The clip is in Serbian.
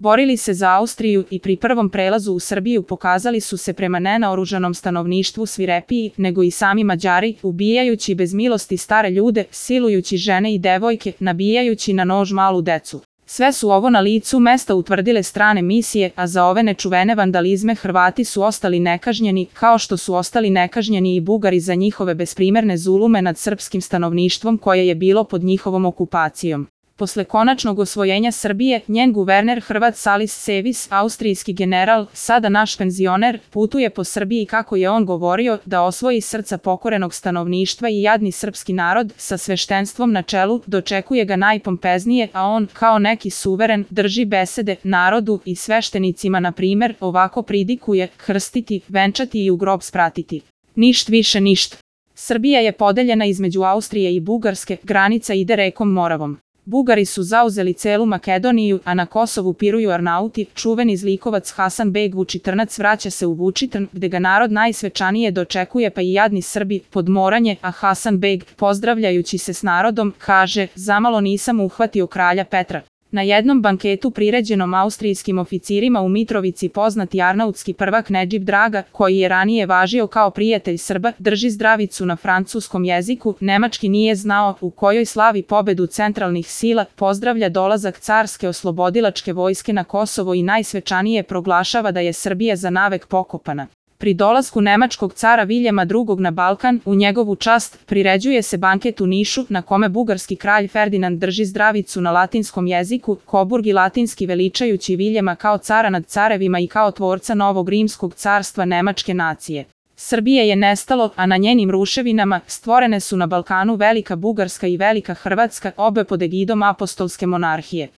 Borili se za Austriju i pri prvom prelazu u Srbiju pokazali su se prema nenaoružanom stanovništvu svirepiji nego i sami Mađari, ubijajući bez milosti stare ljude, silujući žene i devojke, nabijajući na nož malu decu. Sve su ovo na licu mesta utvrdile strane misije, a za ove nečuvene vandalizme Hrvati su ostali nekažnjeni, kao što su ostali nekažnjeni i Bugari za njihove besprimerne zulume nad srpskim stanovništvom koje je bilo pod njihovom okupacijom. Posle konačnog osvojenja Srbije, njen guverner Hrvat Salis Sevis, austrijski general, sada naš penzioner, putuje po Srbiji kako je on govorio da osvoji srca pokorenog stanovništva i jadni srpski narod, sa sveštenstvom na čelu, dočekuje ga najpompeznije, a on, kao neki suveren, drži besede narodu i sveštenicima na primer, ovako pridikuje: krstiti, venčati i u grob spratiti. Ništ više ništ. Srbija je podeljena između Austrije i Bugarske, granica ide rekom Moravom. Bugari su zauzeli celu Makedoniju, a na Kosovu piruju Arnauti, čuveni zlikovac Hasan Beg Vučitrnac vraća se u Vučitrn, gde ga narod najsvečanije dočekuje pa i jadni Srbi, podmoranje, a Hasan Beg, pozdravljajući se s narodom, kaže: zamalo nisam uhvatio kralja Petra. Na jednom banketu priređenom austrijskim oficirima u Mitrovici poznati arnautski prvak Nedžib Draga, koji je ranije važio kao prijatelj Srba, drži zdravicu na francuskom jeziku, nemački nije znao, u kojoj slavi pobedu centralnih sila, pozdravlja dolazak carske oslobodilačke vojske na Kosovo i najsvečanije proglašava da je Srbija za navek pokopana. Pri dolasku nemačkog cara Viljema II na Balkan, u njegovu čast, priređuje se banket u Nišu, na kome bugarski kralj Ferdinand drži zdravicu na latinskom jeziku, Koburgi latinski veličajući Viljema kao cara nad carevima i kao tvorca novog rimskog carstva nemačke nacije. Srbije je nestalo, a na njenim ruševinama stvorene su na Balkanu Velika Bugarska i Velika Hrvatska, obe pod egidom apostolske monarhije.